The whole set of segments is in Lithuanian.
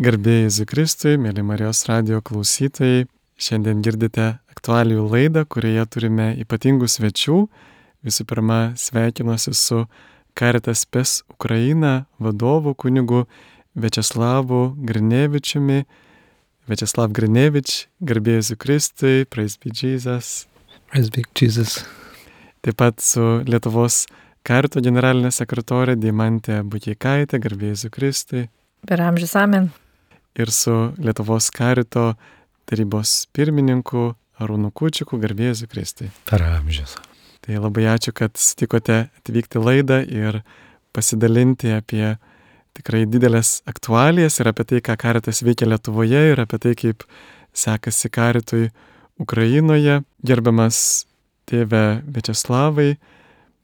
Garbė Jėzui Kristui, mėly Marijos radijo klausytojai. Šiandien girdite aktualijų laidą, kurioje turime ypatingų svečių. Visų pirma, sveikinuosi su Caritas Spes Ukraina vadovu kunigu Viačeslavu Grinevičiumi. Viačeslav Grinevič, garbė Jėzui Kristui, praise be Jesus. Praise be Jesus. Taip pat su Lietuvos Carito generalinė sekretorė Deimantė Bukeikaitė, garbė Jėzui Kristui. Per amžius amen. Ir su Lietuvos Carito tarybos pirmininku Arūnu Kučiku, garbė Jėzui Kristui. Per amžius. Tai labai ačiū, kad sutikote atvykti laidą ir pasidalinti apie tikrai didelės aktualijas ir apie tai, ką Caritas veikia Lietuvoje ir apie tai, kaip sekasi Caritui Ukrainoje. Gerbiamas tėve Viačeslavai,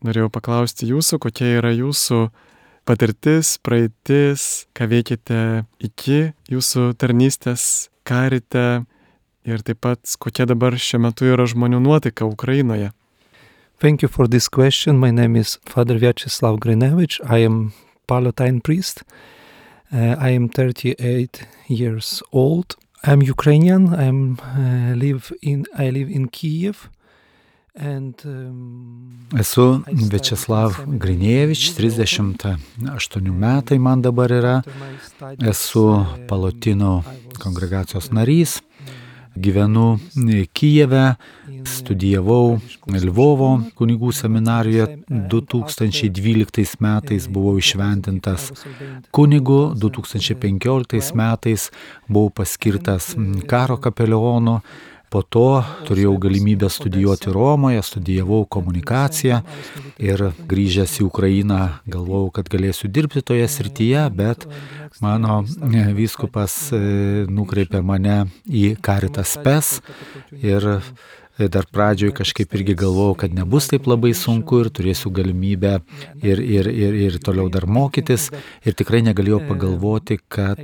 norėjau paklausti jūsų, kokia yra jūsų patirtis, praeitis, ką veikėte iki jūsų tarnystės Carite ir taip pat kokia dabar šiuo metu yra žmonių nuotaika Ukrainoje. Thank you for this question. My name is Father Vyacheslav Grinevich. I am Palatine priest. I am 38 years old. I'm Ukrainian. I live in Kyiv. Esu Viačeslav Grinevič, 38 metai man dabar yra. Esu Palotino kongregacijos narys. Gyvenu Kijeve, studijavau Lvovo kunigų seminarijoje. 2012 metais buvau įšventintas kunigu, 2015 metais buvau paskirtas karo kapelionu. Po to turėjau galimybę studijuoti Romoje, studijavau komunikaciją ir grįžęs į Ukrainą galvojau, kad galėsiu dirbti toje srityje, bet mano vyskupas nukreipė mane į Caritas Spes ir dar pradžioj kažkaip irgi galvojau, kad nebus taip labai sunku ir turėsiu galimybę ir toliau dar mokytis. Ir tikrai negalėjau pagalvoti, kad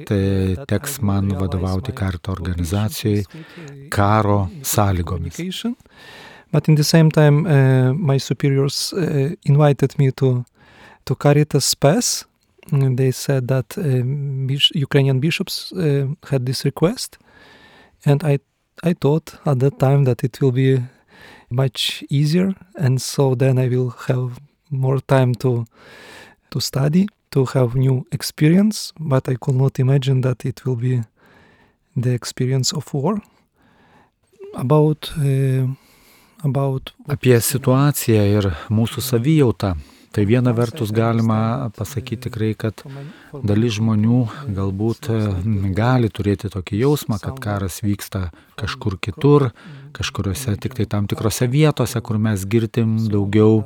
teks man vadovauti Carito organizacijai karo sąlygomis. But in the same time, my superiors invited me to Caritas Spes. They said that Ukrainian bishops had this request, and I thought at that time that it will be much easier, and so then I will have more time to study, to have new experience, but I could not imagine that it will be the experience of war. Apie situaciją ir mūsų savijautą. Tai viena vertus galima pasakyti tikrai, kad dalis žmonių galbūt gali turėti tokį jausmą, kad karas vyksta kažkur kitur, kažkuriuose tik tai tam tikrose vietose, kur mes girdim daugiau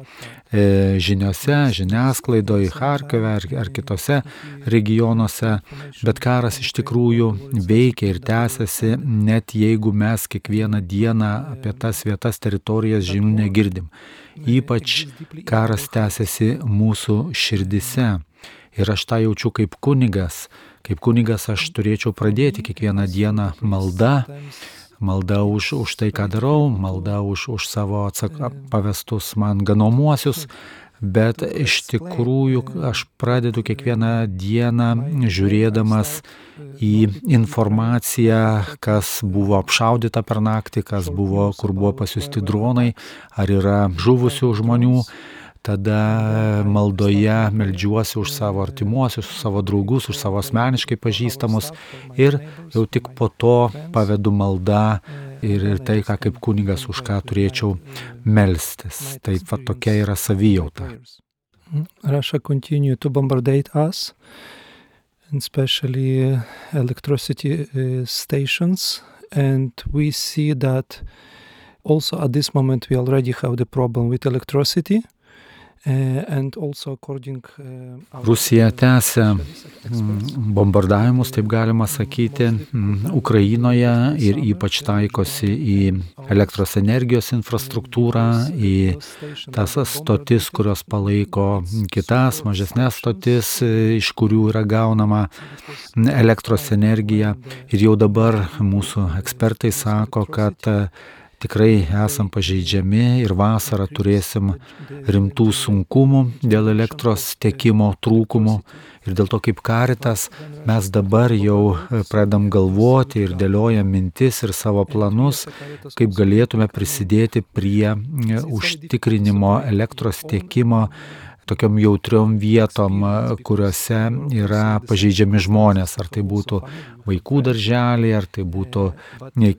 žiniose, žiniasklaidoje, Charkive ar kitose regionuose, bet karas iš tikrųjų veikia ir tęsiasi, net jeigu mes kiekvieną dieną apie tas vietas, teritorijas žinių negirdim. Ypač karas tęsiasi mūsų širdise. Ir aš tą jaučiu kaip kunigas. Kaip kunigas aš turėčiau pradėti kiekvieną dieną malda už tai, ką darau, malda už savo pavestus man ganomuosius. Bet iš tikrųjų aš pradedu kiekvieną dieną žiūrėdamas į informaciją, kas buvo apšaudyta per naktį, kur buvo pasiųsti dronai, ar yra žuvusių žmonių. Tada maldoje meldžiuosi už savo artimuosius, už savo draugus, už savo asmeniškai pažįstamus ir jau tik po to pavedu maldą ir tai, ką kaip kunigas už ką turėčiau melstis. Taip va tokia yra savijauta. Russia continue to bombardate us, and especially electricity stations, and we see that also at this moment we already have the problem with electricity. Rusija tęsia bombardavimus, taip galima sakyti, Ukrainoje ir ypač taikosi į elektros energijos infrastruktūrą, į tas stotis, kurios palaiko kitas mažesnės stotis, iš kurių yra gaunama elektros energija. Ir jau dabar mūsų ekspertai sako, kad tikrai esam pažeidžiami ir vasarą turėsim rimtų sunkumų dėl elektros tiekimo trūkumų. Ir dėl to kaip Caritas mes dabar jau pradedam galvoti ir dėliojam mintis ir savo planus, kaip galėtume prisidėti prie užtikrinimo elektros tiekimo tokiom jautriom vietom, kuriuose yra pažeidžiami žmonės, ar tai būtų vaikų darželiai, ar tai būtų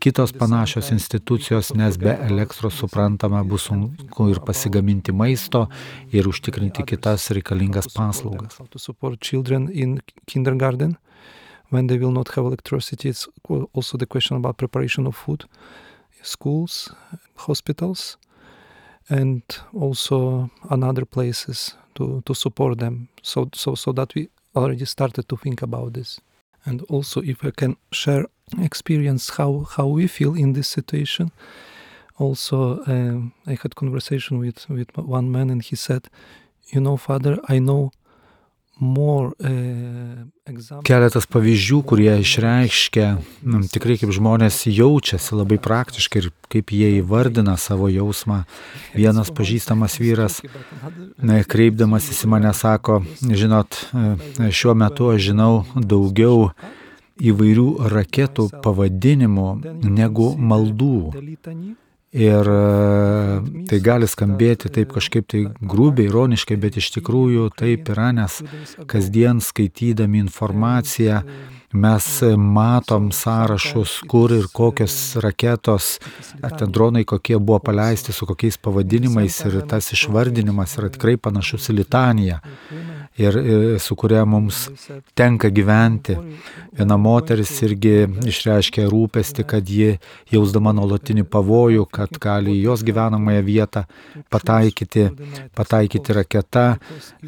kitos panašios institucijos, nes be elektros suprantama bus sunku ir pasigaminti maisto ir užtikrinti kitas reikalingas paslaugas. To support children in kindergarten when they will not have electricity. It's also the question about preparation of food, schools, hospitals, and also on other places to support them. So that we already started to think about this. And also if I can share experience how we feel in this situation. Also I had conversation with one man and he said, Father, I know more Keletas pavyzdžių, kurie išreiškia tikrai kaip žmonės jaučiasi labai praktiškai ir kaip jie įvardina savo jausmą. Vienas pažįstamas vyras, kreipdamasis į mane, sako, žinot, šiuo metu aš žinau daugiau įvairių raketų pavadinimų negu maldų. Ir tai gali skambėti taip kažkaip tai grubiai, ironiškai, bet iš tikrųjų taip yra, nes kasdien skaitydami informaciją mes matom sąrašus, kur ir kokios raketos, ar ten dronai kokie buvo paleisti, su kokiais pavadinimais, ir tas išvardinimas yra tikrai panašus į litaniją, ir su kuria mums tenka gyventi. Viena moteris irgi išreiškė rūpestį, kad ji jausdama nuolatinį pavojų, kad gali į jos gyvenamąją vietą pataikyti raketa,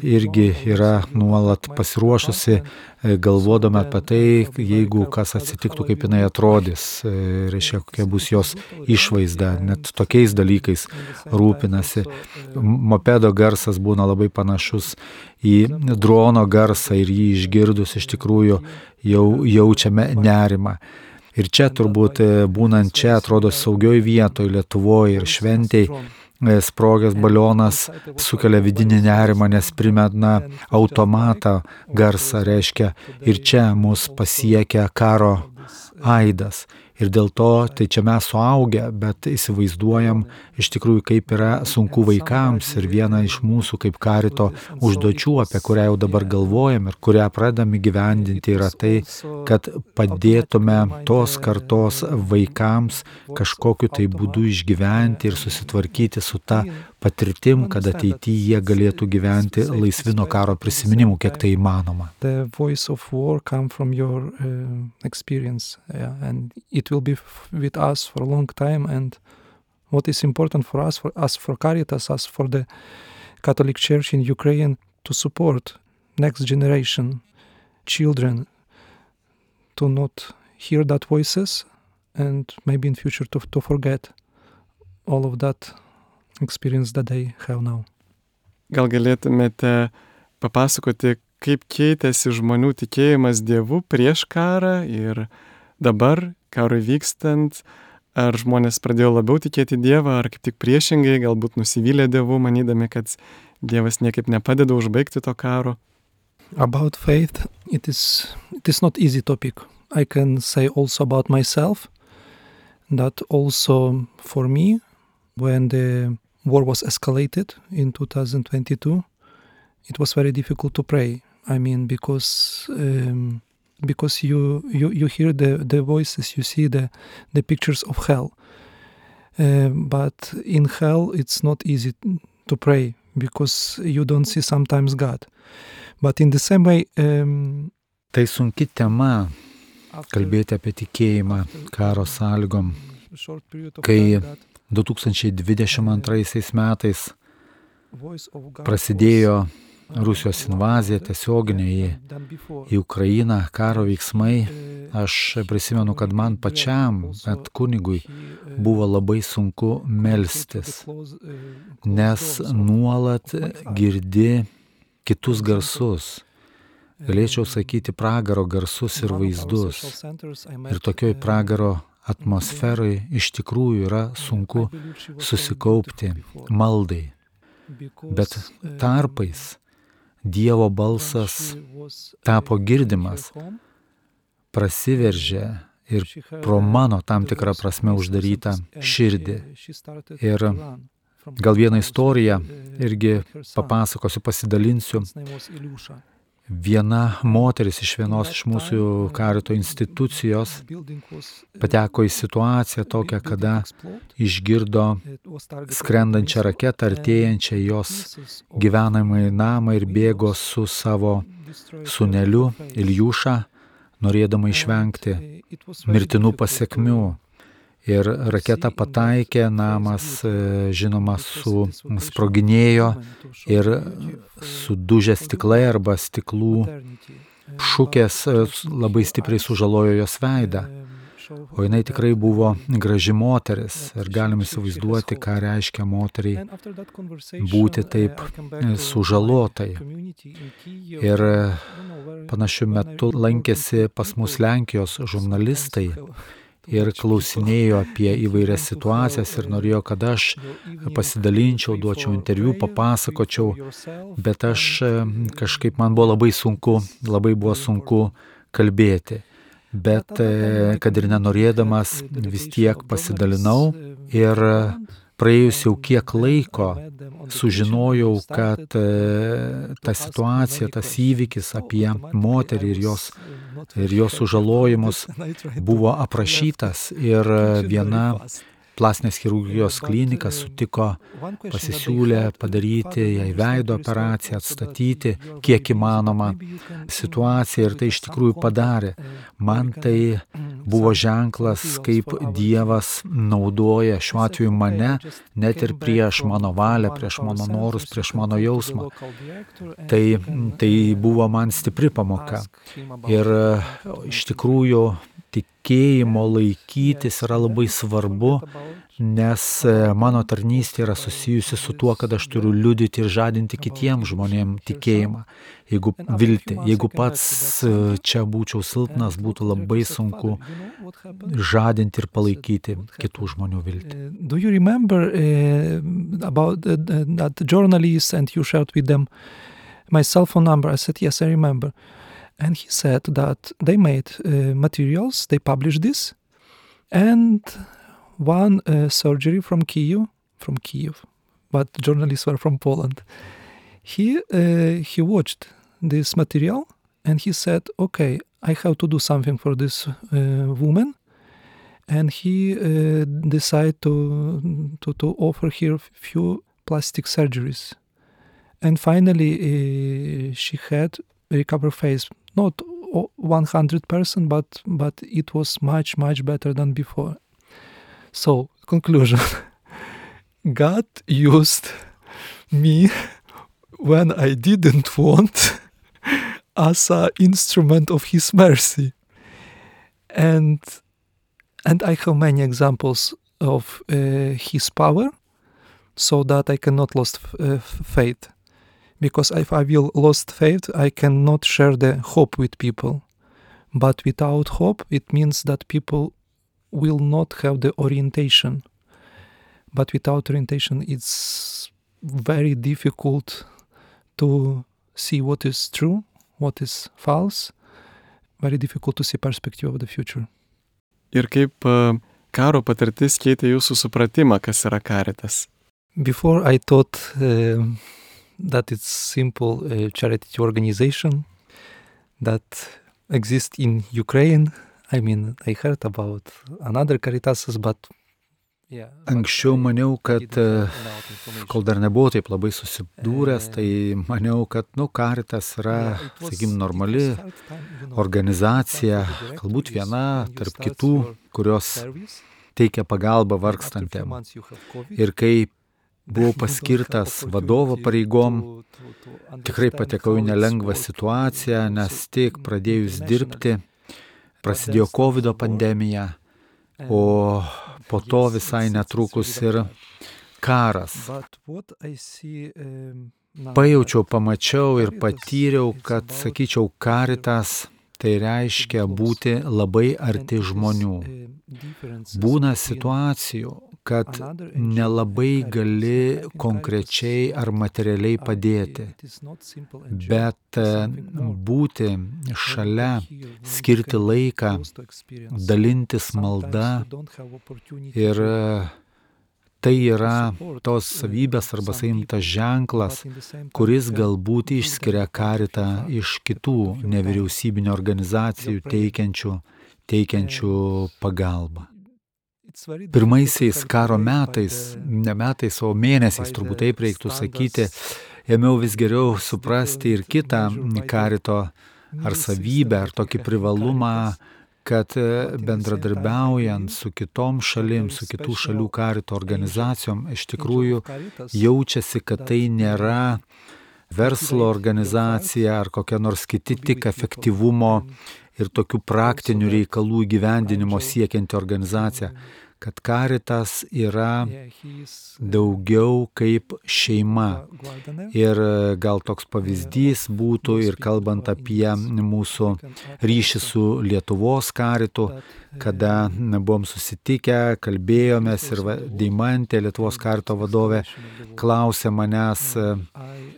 irgi yra nuolat pasiruošusi, galvodama apie tai, jeigu kas atsitiktų, kaip jinai atrodys, reiškia, kokia bus jos išvaizda, net tokiais dalykais rūpinasi. Mopedo garsas būna labai panašus į drono garsą ir jį išgirdus iš tikrųjų jau jaučiame nerimą. Ir čia turbūt būnant čia atrodo saugioj vietoj Lietuvoje ir šventėj, sprogęs balionas sukelia vidinį nerimą, nes primena automatą garsą, reiškia, ir čia mus pasiekia karo aidas. Ir dėl to, tai čia mes suaugę, bet įsivaizduojam iš tikrųjų, kaip yra sunku vaikams. Ir viena iš mūsų kaip Carito užduočių, apie kurią jau dabar galvojam ir kurią pradedam įgyvendinti, yra tai, kad padėtume tos kartos vaikams kažkokiu tai būdu išgyventi ir susitvarkyti su ta patirtim, kad ateityje jie galėtų gyventi laisvi nuo karo prisiminimų, kiek tai įmanoma. The voice of war come from your experience, and it will be with us for a long time. And what is important for us for Caritas, us for the Catholic Church in Ukraine, to support next generation children to not hear that voices and maybe in future to forget all of that experience that they have now. Gal galėtumėte papasakoti, kaip keitėsi žmonių tikėjimas Dievu prieš karą ir dabar, karui vykstant, ar žmonės pradėjo labiau tikėti Dievą, ar kaip tik priešingai, galbūt nusivylė Dievu, manydami, kad Dievas niekaip nepadeda užbaigti to karo? About faith, it is not easy topic. I can say also about myself, that also for me, when the war was escalated in 2022, it was very difficult to pray. I mean, because you hear the voices, you see the pictures of hell. But in hell, it's not easy to pray because you don't see sometimes God. But in the same way... Tai sunki tema kalbėti apie tikėjimą karo sąlygom, kai 2022 metais prasidėjo Rusijos invazija tiesioginė į Ukrainą, karo veiksmai. Aš prisimenu, kad man pačiam, bet kunigui, buvo labai sunku melstis, nes nuolat girdi kitus garsus. Galėčiau sakyti pragaro garsus ir vaizdus. Ir tokioj pragaro atmosferai iš tikrųjų yra sunku susikaupti maldai. Bet tarpais Dievo balsas tapo girdimas, prasiveržė ir pro mano tam tikrą prasme uždarytą širdį. Ir gal vieną istoriją irgi papasakosiu, pasidalinsiu. Viena moteris iš vienos iš mūsų karito institucijos pateko į situaciją tokią, kada išgirdo skrendančią raketą, artėjančią jos gyvenamąjį namą ir bėgo su savo sūneliu Iljuša, norėdama išvengti mirtinų pasekmių. Ir raketa pataikė, namas, žinoma, sproginėjo ir sudužę stiklai arba stiklų šukės labai stipriai sužalojo jos veidą. O jinai tikrai buvo graži moteris ir galim įsivaizduoti, ką reiškia moteriai būti taip sužalotai. Ir panašiu metu lankėsi pas mus Lenkijos žurnalistai ir klausinėjo apie įvairias situacijas ir norėjo, kad aš pasidalinčiau, duočiau interviu, papasakočiau, bet aš kažkaip man buvo labai buvo sunku kalbėti. Bet kad ir nenorėdamas vis tiek pasidalinau ir praėjus jau kiek laiko sužinojau, kad ta situacija, tas įvykis apie moterį ir jos sužalojimus buvo aprašytas ir viena plastinės chirurgijos klinika sutiko, pasisiūlė padaryti jai veido operaciją, atstatyti kiek įmanoma situaciją ir tai iš tikrųjų padarė. Man tai buvo ženklas, kaip Dievas naudoja šiuo atveju mane, net ir prieš mano valią, prieš mano norus, prieš mano jausmą. Tai buvo man stipri pamoka. Ir iš tikrųjų tikėjimo laikytis yra labai svarbu, nes mano tarnystė yra susijusi su tuo, kad aš turiu liudyti ir žadinti kitiems žmonėms tikėjimą. Jeigu pats čia būčiau silpnas, būtų labai sunku žadinti ir palaikyti kitų žmonių viltį. Do you remember about that journalist and you shared with them my cell phone number? I said, yes, I remember. And he said that they made materials, they published this, and one surgery from Kyiv, but journalists were from Poland. He watched this material and he said, okay, I have to do something for this woman, and he decided to offer her few plastic surgeries. And finally she had a recovered face. Not 100%, but it was much, much better than before. So, conclusion. God used me when I didn't want as an instrument of His mercy. And I have many examples of His power, so that I cannot lose faith. Because if I will lost faith, I cannot share the hope with people. But without hope, it means that people will not have the orientation. But without orientation, it's very difficult to see what is true, what is false. Very difficult to see perspective of the future. Ir kaip karo patirtis keitė jūsų supratimą, kas yra Caritas? Before I thought that it's simple charity organization that exists in Ukraine. I mean, I heard about another Caritasas, but Anksčiau maniau, kad kol dar nebuvau taip labai susidūręs, tai maniau, kad Caritas yra, sakykim, normali organizacija, galbūt viena tarp kitų, kurios teikia pagalbą vargstantiem. Ir kai buvau paskirtas vadovo pareigom, tikrai patekau į nelengvą situaciją, nes tik pradėjus dirbti, prasidėjo COVID pandemija, o po to visai netrukus ir karas. Pajaučiau, pamačiau ir patyriau, kad, sakyčiau, Caritas tai reiškia būti labai arti žmonių. Būna situacijų, kad nelabai gali konkrečiai ar materialiai padėti, bet būti šalia, skirti laiką, dalintis malda ir tai yra tos savybės arba saimtas ženklas, kuris galbūt išskiria Karitą iš kitų nevyriausybinių organizacijų teikiančių pagalbą. Pirmaisiais karo metais, ne metais, o mėnesiais, turbūt taip reiktų sakyti, ėmiau vis geriau suprasti ir kitą Karito ar savybę, ar tokį privalumą, kad bendradarbiaujant su kitom šalim, su kitų šalių Karito organizacijom, iš tikrųjų jaučiasi, kad tai nėra verslo organizacija ar kokia nors kiti tik efektyvumo ir tokių praktinių reikalų įgyvendinimo siekianti organizacija, kad Karitas yra daugiau kaip šeima. Ir gal toks pavyzdys būtų ir kalbant apie mūsų ryšį su Lietuvos Karitu, kada buvom susitikę, kalbėjomės ir Deimantė, Lietuvos Karito vadovė, klausė manęs,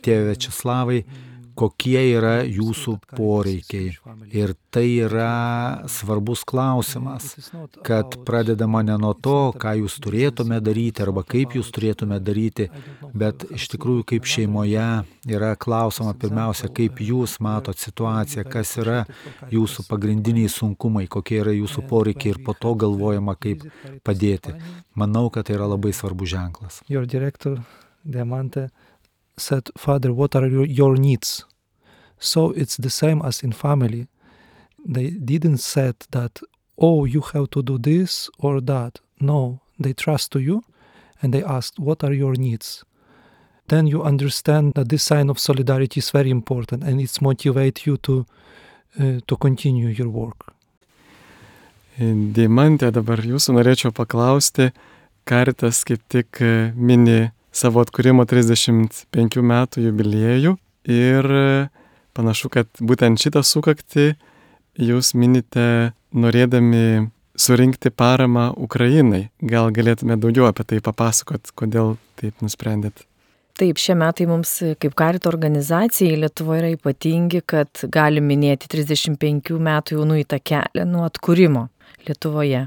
tėve Viačeslavai, kokie yra jūsų poreikiai. Ir tai yra svarbus klausimas, kad pradedama ne nuo to, ką jūs turėtume daryti arba kaip jūs turėtume daryti, bet iš tikrųjų kaip šeimoje yra klausoma pirmiausia, kaip jūs matot situaciją, kas yra jūsų pagrindiniai sunkumai, kokie yra jūsų poreikiai ir po to galvojama, kaip padėti. Manau, kad tai yra labai svarbus ženklas. Your director, Deimantė, said, Father, what are your needs? So it's the same as in family. They didn't say that, oh, you have to do this or that. No, they trust to you and they asked, what are your needs? Then you understand that this sign of solidarity is very important and it's motivate you to continue your work. Deimantė, dabar jūsų norėčiau paklausti, Karitas kaip tik mini savo atkūrimo 35 metų jubiliejų ir panašu, kad būtent šitą sukaktį jūs minite norėdami surinkti paramą Ukrainai. Gal galėtume daugiau apie tai papasakot, kodėl taip nusprendėt? Taip, šie metai mums kaip Karito organizacijai Lietuvoje yra ypatingi, kad galim minėti 35 metų jau nueitą kelią nuo atkūrimo Lietuvoje.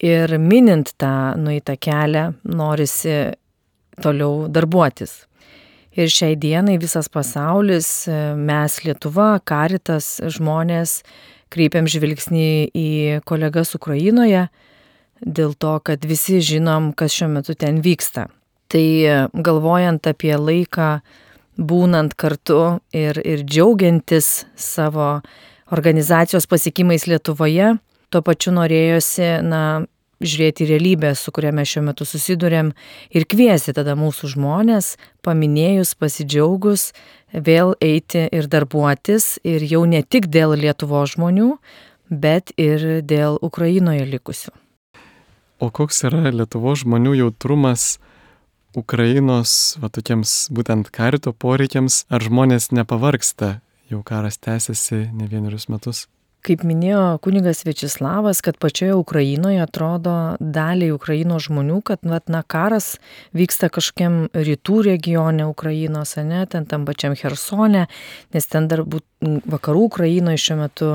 Ir minint tą nueitą kelią norisi toliau darbuotis. Ir šiai dienai visas pasaulis, mes Lietuva, Karitas, žmonės kreipiam žvilgsnį į kolegas Ukrainoje dėl to, kad visi žinom, kas šiuo metu ten vyksta. Tai galvojant apie laiką, būnant kartu ir džiaugiantis savo organizacijos pasiekimais Lietuvoje, tuo pačiu norėjosi, žiūrėti realybę, su kuria mes šiuo metu susidurėm ir kviesti tada mūsų žmonės, paminėjus, pasidžiaugus, vėl eiti ir darbuotis ir jau ne tik dėl Lietuvos žmonių, bet ir dėl Ukrainoje likusių. O koks yra Lietuvos žmonių jautrumas Ukrainos, tokiems būtent Karito poreikiams, ar žmonės nepavargsta, jau karas tęsiasi ne vienerius metus? Kaip minėjo kunigas Viačeslavas, kad pačioje Ukrainoje atrodo daliai Ukrainos žmonių, kad karas vyksta kažkokiam rytų regione Ukrainos, ten tam pačiam Chersone, nes ten dar vakarų Ukrainoje šiuo metu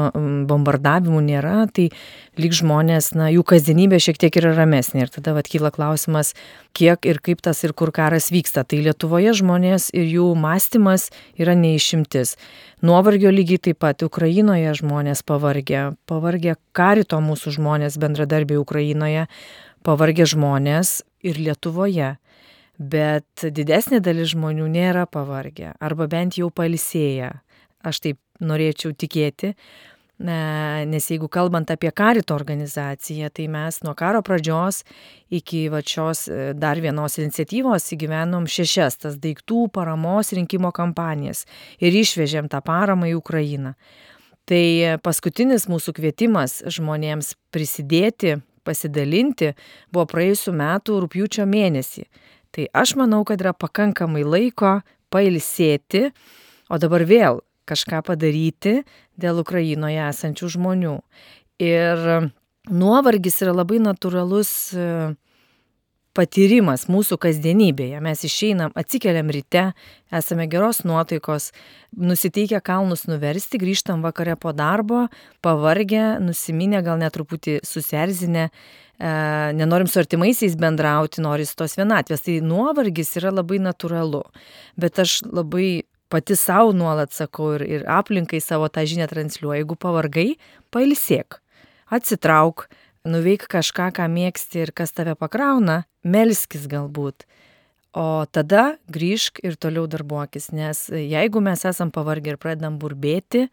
bombardavimų nėra, tai lyg žmonės, jų kasdienybė šiek tiek yra ramesnė. Ir tada kyla klausimas, kiek ir kaip tas ir kur karas vyksta. Tai Lietuvoje žmonės ir jų mąstymas yra neišimtis. Nuovargio lygiai taip pat Ukrainoje žmonės pavargę Karito mūsų žmonės, bendradarbiai Ukrainoje, pavargę žmonės ir Lietuvoje. Bet didesnė dalis žmonių nėra pavargę, arba bent jau pailsėję. Aš taip norėčiau tikėti, nes jeigu kalbant apie Karito organizaciją, tai mes nuo karo pradžios iki šios dar vienos iniciatyvos įgyvenom 6 tas daiktų paramos rinkimo kampanijas ir išvežėm tą paramą į Ukrainą. Tai paskutinis mūsų kvietimas žmonėms prisidėti, pasidalinti buvo praėjusių metų rugpjūčio mėnesį. Tai aš manau, kad yra pakankamai laiko pailsėti, o dabar vėl kažką padaryti dėl Ukrainoje esančių žmonių. Ir nuovargis yra labai natūralus patyrimas mūsų kasdienybėje. Mes išeinam, atsikeliam ryte, esame geros nuotaikos, nusiteikę kalnus nuversti, grįžtam vakare po darbo, pavargę, nusiminę, gal net truputį susierzinę, nenorim su artimaisiais bendrauti, noris tos vienatvės. Tai nuovargis yra labai natūralu. Bet aš labai pati savo nuolat sakau ir aplinkai savo tą žinią transliuoju. Jeigu pavargai, pailsėk, atsitrauk, nuveik kažką, ką mėgsti ir kas tave pakrauna, melskis galbūt. O tada grįžk ir toliau darbuokis, nes jeigu mes esam pavargę ir pradedam burbėti,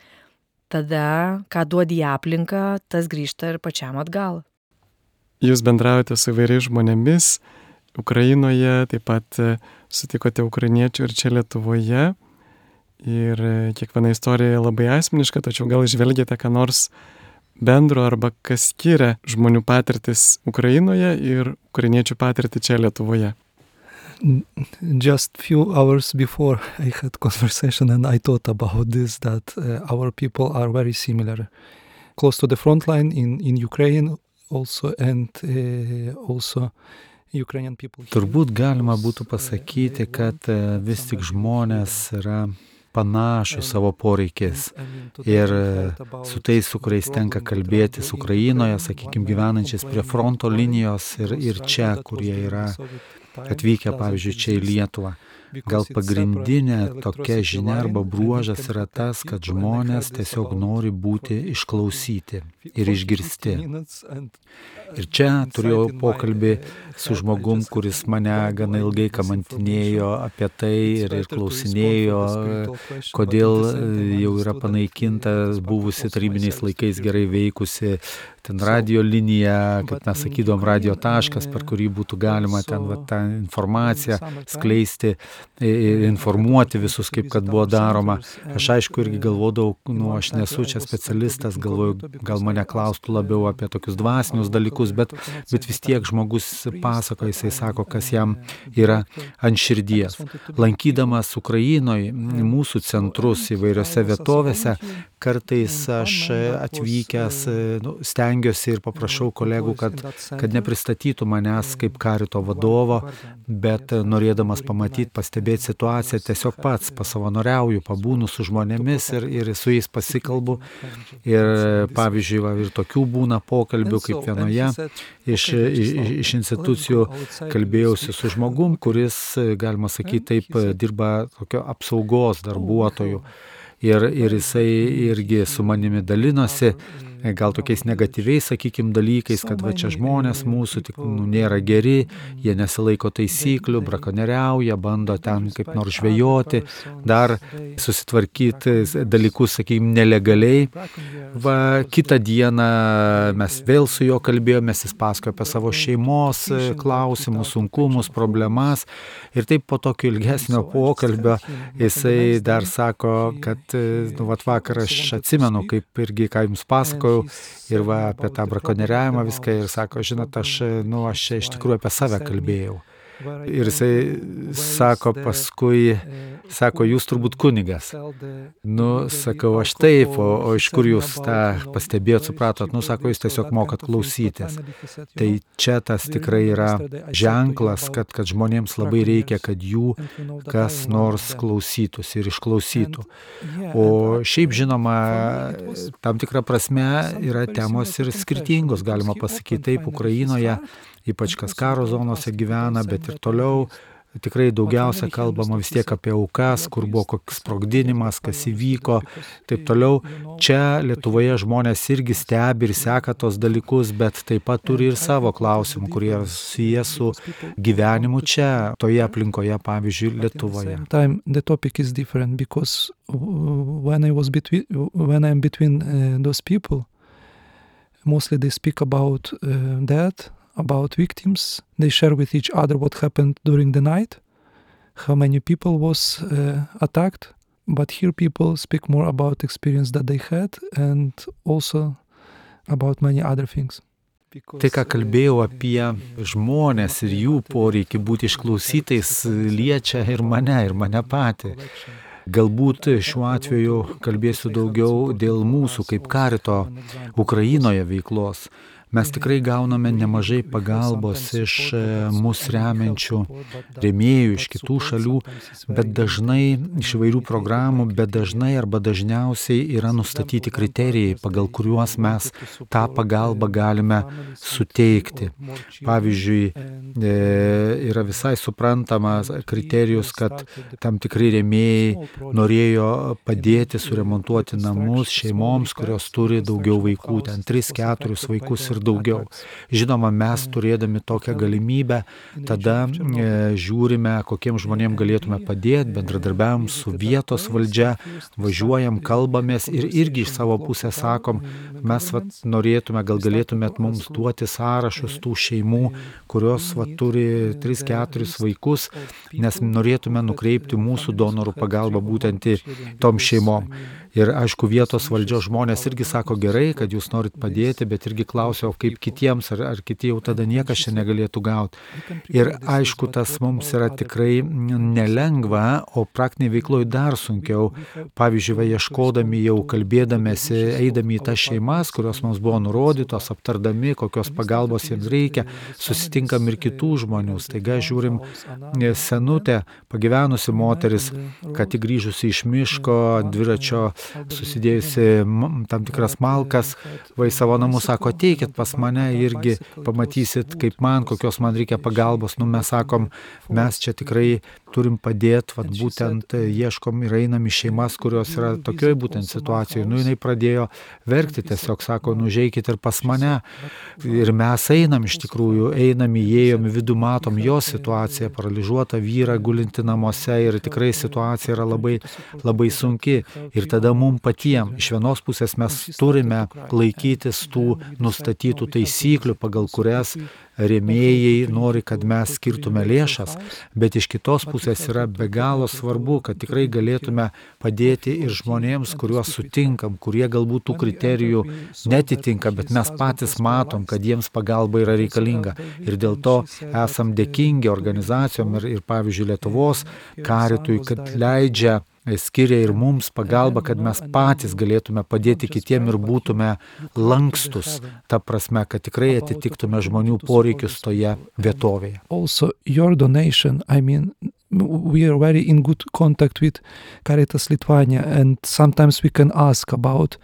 tada, ką duodi į aplinką, tas grįžta ir pačiam atgal. Jūs bendraujate su įvairiais žmonėmis Ukrainoje, taip pat sutikote ukrainiečių ir čia Lietuvoje. Ir kiekviena istorija labai asmeniška, tačiau gal žvelgiate ką nors bendro arba kas skiria žmonių patirtis Ukrainoje ir ukrainiečių patirtį čia Lietuvoje. Just few hours before I had conversation and I thought about this, that our people are very similar. Close to the front line in Ukraine also and also Ukrainian people. Turbūt galima būtų pasakyti, kad vis tik žmonės yra panašų savo poreikės ir su tais, su kuriais tenka kalbėtis Ukrainoje, sakykime, gyvenančiais prie fronto linijos ir čia, kurie yra atvykę, pavyzdžiui, čia į Lietuvą. Gal pagrindinė tokia žinia arba bruožas yra tas, kad žmonės tiesiog nori būti išklausyti ir išgirsti. Ir čia turėjau pokalbį su žmogum, kuris mane gana ilgai kamantinėjo apie tai ir klausinėjo, kodėl jau yra panaikinta buvusi tarybiniais laikais gerai veikusi ten radio linija, kaip mes sakydom, radio taškas, per kurį būtų galima ten tą informaciją skleisti, informuoti visus, kaip kad buvo daroma. Aš aišku irgi galvodavau, aš nesu čia specialistas, galvoju, gal mane klaustų labiau apie tokius dvasinius dalykus, bet vis tiek žmogus pasako, jisai sako, kas jam yra ant širdies. Lankydamas Ukrainoje mūsų centrus įvairiose vietovėse, kartais aš atvykęs stengiuosi ir paprašau kolegų, kad nepristatytų manęs kaip karito vadovo, bet norėdamas pamatyti, pastebėti situaciją, tiesiog pats pasavanoriauju, pabūnu su žmonėmis ir su jais pasikalbu. Ir pavyzdžiui, ir tokių būna pokalbių, kaip vienoje iš institucijų kalbėjausi su žmogum, kuris, galima sakyti, taip dirba tokio apsaugos darbuotojų. Ir jisai irgi su manimi dalinosi, gal tokiais negatyviais, sakykime, dalykais, kad va čia žmonės mūsų tik nėra geri, jie nesilaiko taisyklių, brakonieriauja, bando ten kaip nors žvejoti, dar susitvarkyti dalykus, sakykime, nelegaliai. Va, kitą dieną mes vėl su juo kalbėjomės, jis pasakojo apie savo šeimos klausimus, sunkumus, problemas. Ir taip po tokio ilgesnio pokalbio jisai dar sako, kad vakar aš atsimenu, kaip irgi ką jums pasakojau, ir apie tą brakonieriavimą viską ir sako, žinot, aš iš tikrųjų apie save kalbėjau. Ir jisai sako paskui, jūs turbūt kunigas. Sakau, aš taip, o iš kur jūs tą pastebėjot, supratot, sako, jūs tiesiog mokat klausytis. Tai čia tas tikrai yra ženklas, kad žmonėms labai reikia, kad jų kas nors klausytųsi ir išklausytų. O šiaip žinoma, tam tikrą prasme yra temos ir skirtingos, galima pasakyti taip, Ukrainoje, ypač kas karo zonose gyvena, bet ir toliau tikrai daugiausia kalbama vis tiek apie aukas, kur buvo koks sprogdinimas, kas įvyko, taip toliau. Čia Lietuvoje žmonės irgi stebi ir seka tos dalykus, bet taip pat turi ir savo klausimų, kurie susiję su gyvenimu čia, toje aplinkoje, pavyzdžiui, Lietuvoje. The topic is different because when I'm between those people, mostly they speak about death, about victims. They share with each other what happened during the night, how many people was attacked. But here people speak more about experience that they had and also about many other things. Tai, ką kalbėjau apie žmonės ir jų poreikį būti išklausytais, liečia ir mane patį. Galbūt šiuo atveju kalbėsiu daugiau dėl mūsų kaip karito Ukrainoje veiklos. mes tikrai gauname nemažai pagalbos iš mus remiančių rėmėjų iš kitų šalių, bet dažnai iš įvairių programų, bet dažnai arba dažniausiai yra nustatyti kriterijai, pagal kuriuos mes tą pagalbą galime suteikti. Pavyzdžiui, yra visai suprantamas kriterijus, kad tam tikri rėmėjai norėjo padėti suremontuoti namus šeimoms, kurios turi daugiau vaikų, ten 3-4 vaikus ir daugiau. Žinoma, mes turėdami tokią galimybę, tada žiūrime, kokiem žmonėm galėtume padėti, bendradarbiavom su vietos valdžia, važiuojam, kalbamės ir irgi iš savo pusės sakom, mes norėtume, gal galėtumėt mums duoti sąrašus tų šeimų, kurios turi 3-4 vaikus, nes norėtume nukreipti mūsų donorų pagalbą būtent į tom šeimom. Ir aišku, vietos valdžios žmonės irgi sako gerai, kad jūs norit padėti, bet irgi klausia, o kaip kitiems, ar kiti jau tada niekas čia negalėtų gauti. Ir aišku, tas mums yra tikrai nelengva, o praktiniai veikloj dar sunkiau. Pavyzdžiui, ieškodami jau kalbėdamėsi, eidami į tas šeimas, kurios mums buvo nurodytos, aptardami, kokios pagalbos jiems reikia, susitinkam ir kitų žmonių. Staiga žiūrim senutę, pagyvenusi moteris, kad tik grįžusi iš miško, dviračio, susidėjusi tam tikras malkas, vai savo namus sako, ateikit pas mane irgi, pamatysit, kaip kokios man reikia pagalbos. Mes sakom, mes čia tikrai turim padėti, būtent ieškom ir einam į šeimas, kurios yra tokioj būtent situacijoje. Jinai pradėjo verkti, tiesiog sako, užeikit ir pas mane. Ir mes einam iš tikrųjų, įėjom į vidų, matom jo situaciją, paralyžiuotą vyrą gulinti namuose ir tikrai situacija yra labai, labai sunki. Ir tada mums patiems, iš vienos pusės mes turime laikytis tų nustatytų taisyklių, pagal kurias rėmėjai nori, kad mes skirtume lėšas, bet iš kitos pusės yra be galo svarbu, kad tikrai galėtume padėti ir žmonėms, kuriuos sutinkam, kurie galbūt tų kriterijų netitinka, bet mes patys matom, kad jiems pagalba yra reikalinga. Ir dėl to esam dėkingi organizacijom ir pavyzdžiui, Lietuvos karitui, kad skiria ir mums pagalbą, kad mes patys galėtume padėti kitiem ir būtume lankstus, ta prasme, kad tikrai atitiktume žmonių poreikius toje vietovėje. Also, your donation, we are very in good contact with Caritas Lithuania, and sometimes we can ask about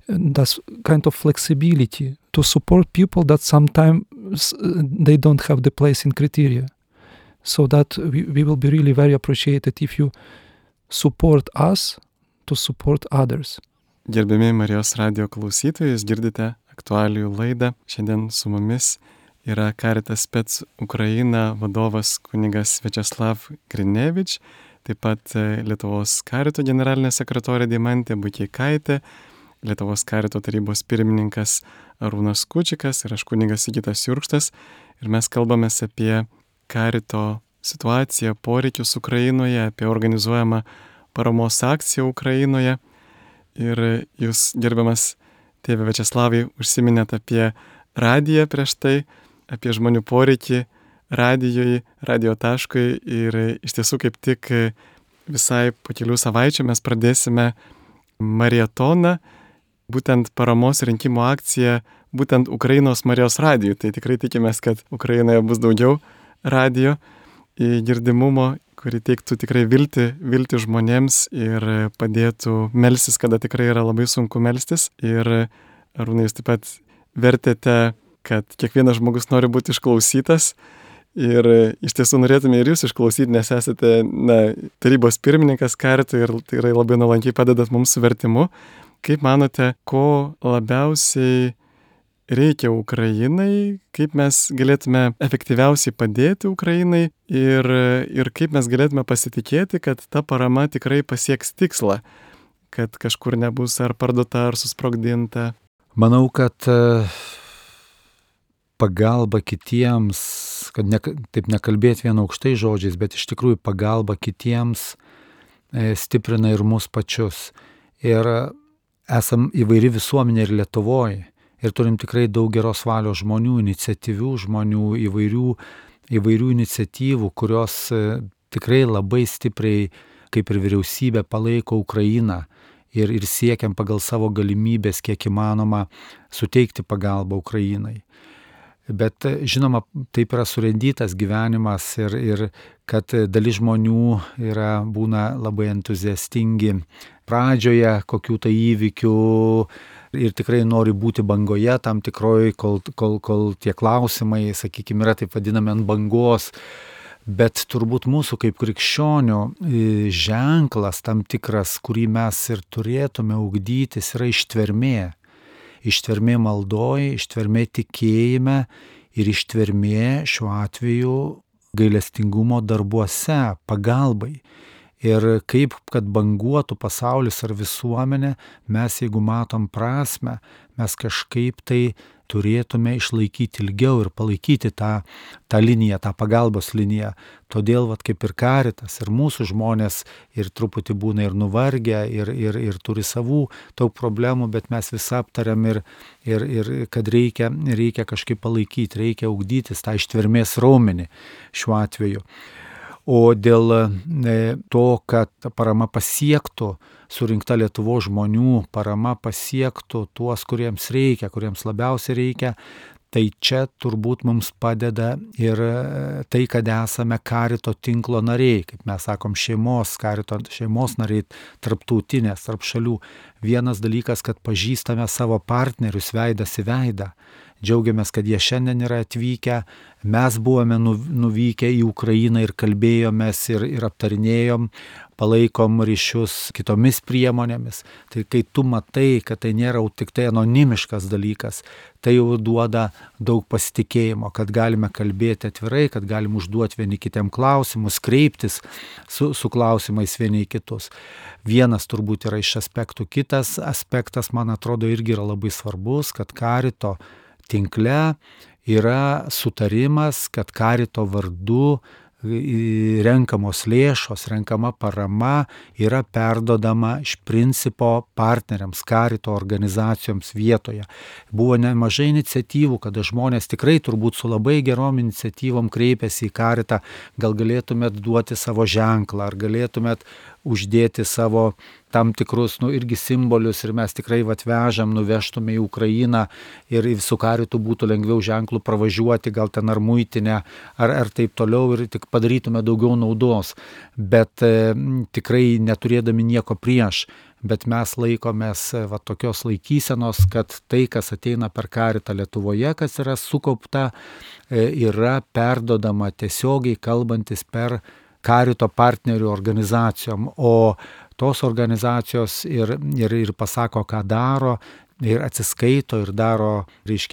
this kind of flexibility to support people that sometimes they don't have the place in criteria. So that we will be really very appreciated if you support us to support others. Gerbiami Marijos radijo klausytojai, jūs girdite aktualijų laidą. Šiandien su mumis yra Caritas Spec Ukraina vadovas kunigas Viačeslav Grinevič, taip pat Lietuvos karito generalinė sekretorė Deimantė Bukeikaitė, Lietuvos karito tarybos pirmininkas Arūnas Kučikas ir aš kunigas Sigitas Jurkštas. Ir mes kalbamės apie karito situaciją, poreikius Ukrainoje, apie organizuojamą paramos akciją Ukrainoje. Ir jūs, gerbiamas tėve Viačeslavai, užsiminėt apie radiją prieš tai, apie žmonių poreikį radijo taškui. Ir iš tiesų kaip tik visai po kelių savaičių mes pradėsime maratoną, būtent paramos rinkimo akciją, būtent Ukrainos Marijos radijui. Tai tikrai tikimės, kad Ukrainoje bus daugiau radijo girdimumo, kuri teiktų tikrai viltį žmonėms ir padėtų melstis, kada tikrai yra labai sunku melstis. Ir Arūnai, jūs taip pat vertėte, kad kiekvienas žmogus nori būti išklausytas. Ir iš tiesų norėtume ir jūs išklausyti, nes esate tarybos pirmininkas karito ir tikrai labai nuolankiai padedat mums su vertimu. Kaip manote, ko labiausiai reikia Ukrainai, kaip mes galėtume efektyviausiai padėti Ukrainai ir kaip mes galėtume pasitikėti, kad ta parama tikrai pasieks tikslą, kad kažkur nebus ar parduota, ar susprogdinta? Manau, kad pagalba kitiems, kad taip nekalbėti vien aukštai žodžiais, bet iš tikrųjų pagalba kitiems stiprina ir mus pačius. Ir esam įvairi visuomenė ir Lietuvoje. Ir turim tikrai daug geros valios žmonių, iniciatyvių žmonių, įvairių iniciatyvų, kurios tikrai labai stipriai, kaip ir vyriausybė, palaiko Ukrainą. ir siekiam pagal savo galimybės, kiek įmanoma, suteikti pagalbą Ukrainai. Bet žinoma, taip yra surendytas gyvenimas ir kad dalis žmonių būna labai entuziastingi pradžioje kokių tai įvykių ir tikrai nori būti bangoje tam tikroj, kol tie klausimai, sakykime, yra taip vadinami ant bangos. Bet turbūt mūsų kaip krikščionių ženklas tam tikras, kurį mes ir turėtume ugdytis, yra ištvermė. Ištvermė maldoj, ištvermė tikėjime ir ištvermė šiuo atveju gailestingumo darbuose, pagalbai. Ir kaip kad banguotų pasaulis ar visuomenė, mes jeigu matom prasmę, mes kažkaip tai turėtume išlaikyti ilgiau ir palaikyti tą liniją, tą pagalbos liniją. Todėl, kaip ir Caritas, ir mūsų žmonės ir truputį būna ir nuvargę, ir turi savų daug problemų, bet mes visą aptariam ir kad reikia kažkaip palaikyti, reikia ugdytis tą ištvermės raumenį šiuo atveju. O dėl to, kad parama pasiektų, surinkta Lietuvos žmonių, parama pasiektų tuos, kuriems reikia, kuriems labiausiai reikia, tai čia turbūt mums padeda ir tai, kad esame Carito tinklo nariai, kaip mes sakom, Carito šeimos nariai, tarptautinės, tarp šalių. Vienas dalykas, kad pažįstame savo partnerius veidas į veidą. Džiaugiamės, kad jie šiandien yra atvykę, mes buvome nuvykę į Ukrainą ir kalbėjomės ir aptarinėjom, palaikom ryšius kitomis priemonėmis. Tai kai tu matai, kad tai nėra tik tai anonimiškas dalykas, tai jau duoda daug pasitikėjimo, kad galime kalbėti atvirai, kad galim užduoti vieni kitiem klausimus, kreiptis su klausimais vieni į kitus. Vienas turbūt yra iš aspektų. Kitas aspektas, man atrodo, irgi yra labai svarbus, kad Carito tinkle yra sutarimas, kad Carito vardu renkamos lėšos, renkama parama yra perdodama iš principo partneriams, Carito organizacijoms vietoje. Buvo nemažai iniciatyvų, kada žmonės tikrai turbūt su labai gerom iniciatyvom kreipėsi į Caritą, gal galėtumėt duoti savo ženklą, ar galėtumėt uždėti savo tam tikrus, irgi simbolius ir mes tikrai vežam, nuvežtume į Ukrainą ir su Caritu būtų lengviau ženklų pravažiuoti, gal ten ar muitinę, ar taip toliau ir tik padarytume daugiau naudos, bet tikrai neturėdami nieko prieš. Bet mes laikomės tokios laikysenos, kad tai, kas ateina per Caritą Lietuvoje, kas yra sukaupta, yra perdodama tiesiogiai kalbantis per Carito partnerių organizacijom, o tos organizacijos ir pasako, ką daro, ir atsiskaito, ir daro,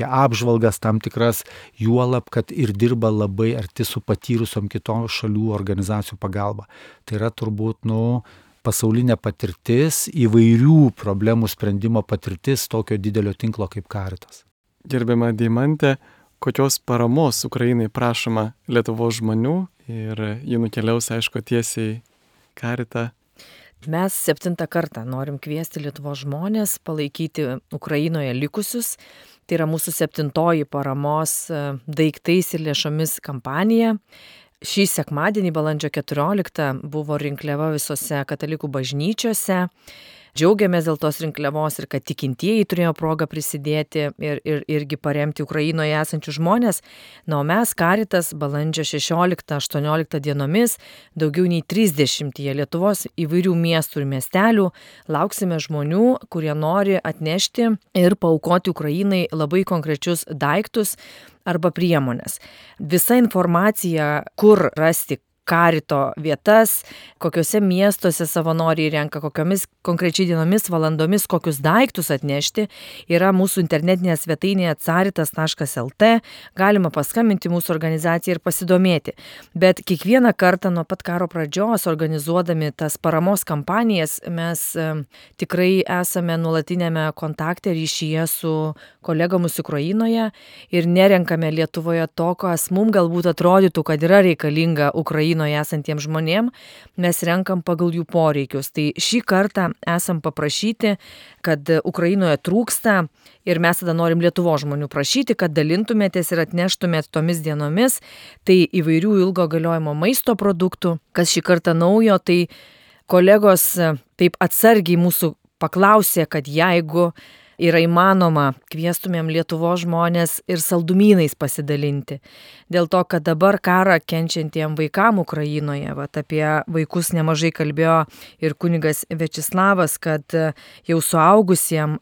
apžvalgas tam tikras, juolab, kad ir dirba labai arti su patyrusiom kitom šalių organizacijų pagalba. Tai yra turbūt, pasaulinė patirtis, įvairių problemų sprendimo patirtis tokio didelio tinklo kaip Caritas. Gerbiama Deimantė, kokios paramos Ukrainai prašoma Lietuvos žmonių ir ji nukeliaus, aišku, tiesiai Caritą? Mes 7 kartą norim kviesti Lietuvos žmonės palaikyti Ukrainoje likusius. Tai yra mūsų 7 paramos daiktais ir lėšomis kampanija. Šį sekmadienį, balandžio 14, buvo rinkliava visose katalikų bažnyčiose. Džiaugiamės dėl tos rinkliavos ir kad tikintieji turėjo progą prisidėti irgi paremti Ukrainoje esančius žmonės. O mes Caritas balandžio 16-18 dienomis daugiau nei 30 Lietuvos įvairių miestų ir miestelių lauksime žmonių, kurie nori atnešti ir paaukoti Ukrainai labai konkrečius daiktus arba priemonės. Visa informacija, kur rasti Carito vietas, kokiuose miestuose savanoriai renka, kokiomis konkrečiai dienomis, valandomis, kokius daiktus atnešti, yra mūsų internetinėje svetainėje caritas.lt, galima paskambinti mūsų organizacijai ir pasidomėti. Bet kiekvieną kartą nuo pat karo pradžios, organizuodami tas paramos kampanijas, mes tikrai esame nuolatinėme kontakte ryšyje su kolegomis Ukrainoje ir nerenkame Lietuvoje to, kas mums galbūt atrodytų, kad yra reikalinga Ukrainoje esantiems žmonėm, mes renkam pagal jų poreikius. Tai šį kartą esam paprašyti, kad Ukrainoje trūksta ir mes tada norim Lietuvos žmonių prašyti, kad dalintumėtės ir atneštumėt tomis dienomis. Tai įvairių ilgo galiojimo maisto produktų, kas šį kartą naujo, tai kolegos taip atsargiai mūsų paklausė, kad jeigu yra įmanoma, kviestumėm Lietuvos žmonės ir saldumynais pasidalinti. Dėl to, kad dabar karą kenčiantiem vaikam Ukrainoje, apie vaikus nemažai kalbėjo ir kunigas Viačeslavas, kad jau suaugusiem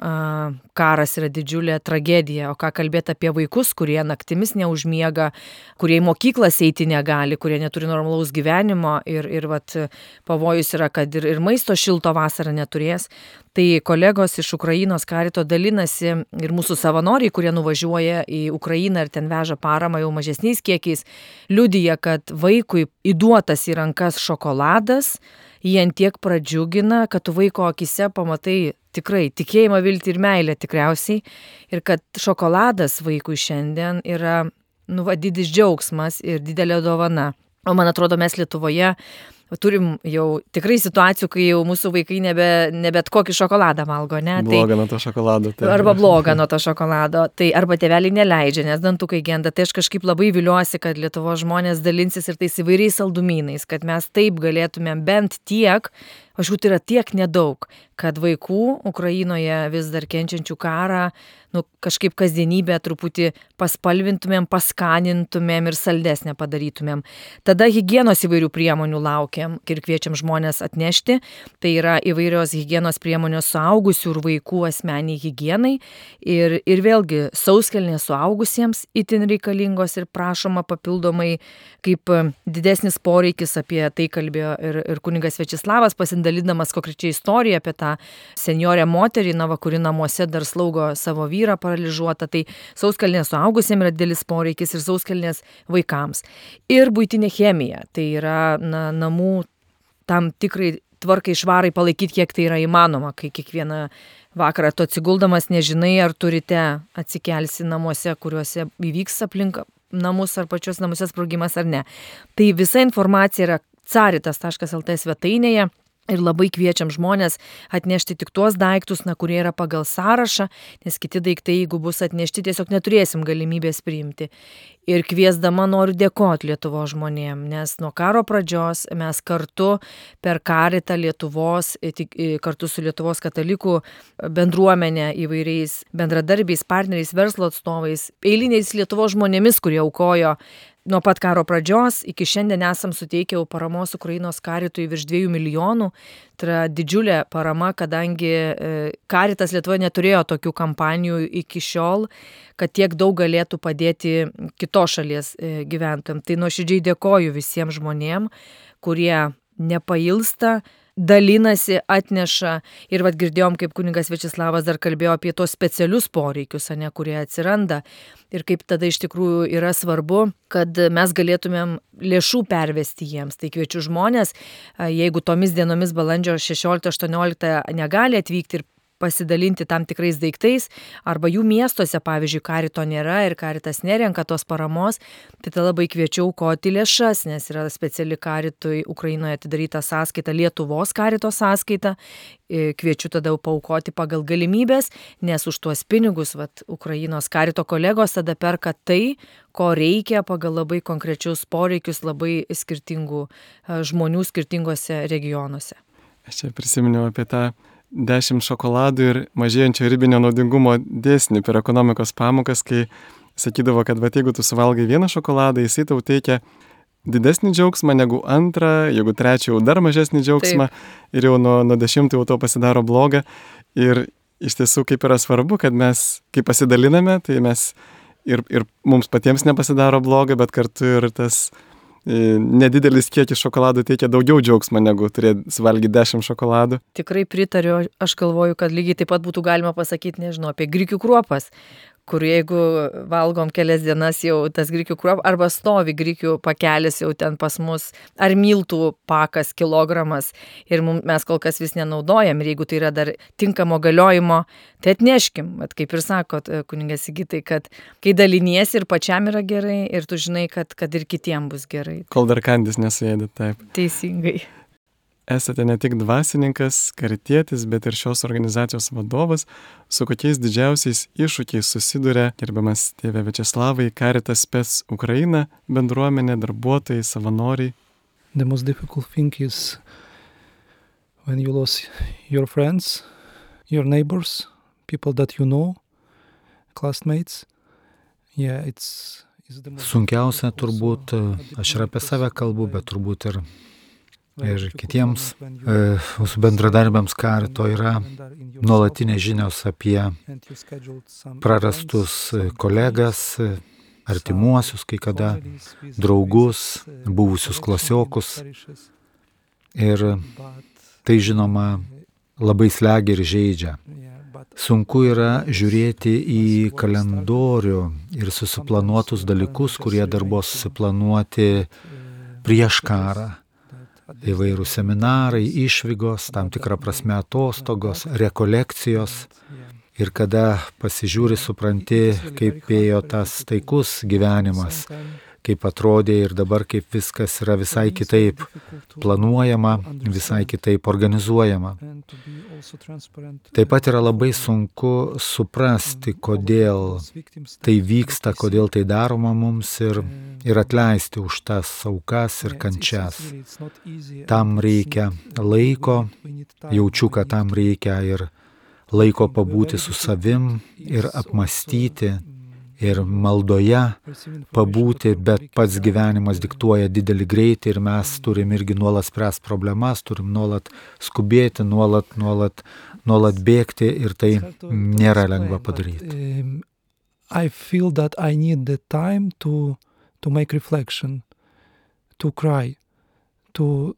karas yra didžiulė tragedija, o ką kalbėti apie vaikus, kurie naktimis neužmiega, kurie į mokyklas eiti negali, kurie neturi normalaus gyvenimo ir pavojus yra, kad ir maisto šilto vasarą neturės. Tai kolegos iš Ukrainos karito dalinasi ir mūsų savanoriai, kurie nuvažiuoja į Ukrainą ir ten veža paramą jau mažesniais kiekiais, liudija, kad vaikui įduotas į rankas šokoladas, jį antiek pradžiugina, kad tu vaiko akise pamatai tikrai tikėjimą, viltį ir meilę tikriausiai, ir kad šokoladas vaikui šiandien yra didis džiaugsmas ir didelė dovana. O man atrodo, mes Lietuvoje turim jau tikrai situacijų, kai jau mūsų vaikai ne bet kokį šokoladą valgo, ne? Bloga nuo to šokolado. Tai. Arba bloga nuo to šokolado. Tai arba tėveliai neleidžia, nes dantukai genda. Tai aš kažkaip labai viliuosi, kad Lietuvos žmonės dalinsis ir tais įvairiais saldumynais, kad mes taip galėtumėm bent tiek, tai yra tiek nedaug, kad vaikų Ukrainoje vis dar kenčiančių karą, kažkaip kasdienybę truputį paspalvintumėm, paskanintumėm ir saldesnę padarytumėm. Tada higienos įvairių priemonių laukiam ir kviečiam žmonės atnešti. Tai yra įvairios higienos priemonės suaugusių ir vaikų asmeniai higienai. Ir vėlgi sauskelnės suaugusiems itin reikalingos ir prašoma papildomai, kaip didesnis poreikis, apie tai kalbėjo ir kunigas Viačeslavas, pasidalindamas konkrečiai istoriją apie tą senjorę moterį, kuri namuose dar slaugo savo vyrą paralyžiuotą. Tai sauskelnės suaugusiems yra didelis poreikis ir sauskelnės vaikams. Ir buitinė chemija, tai yra namų tam tikrai tvarkai švarai palaikyti, kiek tai yra įmanoma, kai kiekvieną vakarą tu atsiguldamas nežinai, ar turite atsikelsi namuose, kuriuose įvyks aplink namus ar pačios namuose sprogimas ar ne. Tai visa informacija yra caritas.lt svetainėje. Ir labai kviečiam žmonės atnešti tik tuos daiktus, kurie yra pagal sąrašą, nes kiti daiktai, jeigu bus atnešti, tiesiog neturėsim galimybės priimti. Ir kviesdama noriu dėkoti Lietuvos žmonėm, nes nuo karo pradžios mes kartu per Karitą Lietuvos, kartu su Lietuvos katalikų bendruomenė, įvairiais bendradarbiais, partneriais, verslo atstovais, eiliniais Lietuvos žmonėmis, kurie aukojo nuo pat karo pradžios iki šiandien esam suteikę paramos Ukrainos karitui virš 2 milijonų. Tai yra didžiulė parama, kadangi Karitas Lietuvoje neturėjo tokių kampanijų iki šiol, kad tiek daug galėtų padėti kitos šalies gyventojams. Tai nuoširdžiai dėkoju visiems žmonėm, kurie nepailsta, dalinasi, atneša. Ir girdėjom, kaip kunigas Viačeslavas dar kalbėjo apie tos specialius poreikius, kurie atsiranda. Ir kaip tada iš tikrųjų yra svarbu, kad mes galėtumėm lėšų pervesti jiems. Tai kviečiu žmonės, jeigu tomis dienomis balandžio 16-18 negali atvykti ir pasidalinti tam tikrais daiktais, arba jų miestuose, pavyzdžiui, karito nėra ir karitas nerenka tos paramos, tai tada labai kviečiau aukoti lėšas, nes yra speciali karitui Ukrainoje atidaryta sąskaita, Lietuvos karito sąskaita. Kviečiu tada paaukoti pagal galimybės, nes už tuos pinigus Ukrainos karito kolegos tada perka tai, ko reikia pagal labai konkrečius poreikius labai skirtingų žmonių skirtingose regionuose. Aš čia prisiminiau apie tą 10 šokoladų ir mažėjančio ribinio naudingumo dėsnį per ekonomikos pamokas, kai sakydavo, kad jeigu tu suvalgai vieną šokoladą, jisai tau teikia didesnį džiaugsmą negu antrą, jeigu trečią jau dar mažesnį džiaugsmą. Taip. Ir jau nuo 10 jau to pasidaro bloga. Ir iš tiesų kaip yra svarbu, kad mes, kai pasidaliname, tai mes ir mums patiems nepasidaro bloga, bet kartu ir tas nedidelis kiekis šokoladų teikia daugiau džiaugsmo negu turėti suvalgyti 10 šokoladų. Tikrai pritariu, aš galvoju, kad lygiai taip pat būtų galima pasakyti, apie grikių kruopas, kur jeigu valgom kelias dienas jau tas grikių kruopas, arba stovi grikių pakelis jau ten pas mus, ar miltų pakas kilogramas ir mes kol kas vis nenaudojam, ir jeigu tai yra dar tinkamo galiojimo, tai atneškim, kaip ir sakot, kunigas Sigitai, kad kai daliniesi ir pačiam yra gerai, ir tu žinai, kad ir kitiem bus gerai. Kol dar kandis nesuėdė, taip. Teisingai. Esate ne tik dvasininkas, karitietis, bet ir šios organizacijos vadovas. Su kokiais didžiausiais iššūkiais susiduria gerbiamas tėve Viačeslavai, Caritas Spes Ukraina, bendruomenė, darbuotojai, savanoriai? The most difficult thing is when you lose your friends, your neighbors, people that you know, classmates. Yeah, it's the most Sunkiausia difficult also turbūt, at the aš ir apie beginning save because kalbu, bet when turbūt ir difficult kitiems moment when you mūsų bendradarbiams karito yra calendar in yourself nuolatinės žinios apie and you scheduled some prarastus events, some kolegas, artimuosius, kai kada families with draugus, visits, buvusius collection in klasiokus. parishes, Ir but tai žinoma labai slegia ir žaidžia. yeah, but Sunku yra žiūrėti į kalendorių ir susiplanuotus dalykus, kurie dar buvo susiplanuoti prieš karą. Įvairūs seminarai, išvygos, tam tikrą prasme atostogos, rekolekcijos. Ir kada pasižiūri, supranti, kaip ėjo tas taikus gyvenimas, kaip atrodė ir dabar kaip viskas yra visai kitaip planuojama, visai kitaip organizuojama. Taip pat yra labai sunku suprasti, kodėl tai vyksta, kodėl tai daroma mums ir atleisti už tas aukas ir kančias. Tam reikia laiko, jaučiu, kad tam reikia ir laiko pabūti su savim ir apmąstyti ir maldoje pabūti, bet pats gyvenimas diktuoja didelį greitį ir mes turim irgi nuolat spręsti problemas, turim nuolat skubėti, nuolat bėgti ir tai nėra lengva padaryti. I feel that I need the time to make reflection, to cry, to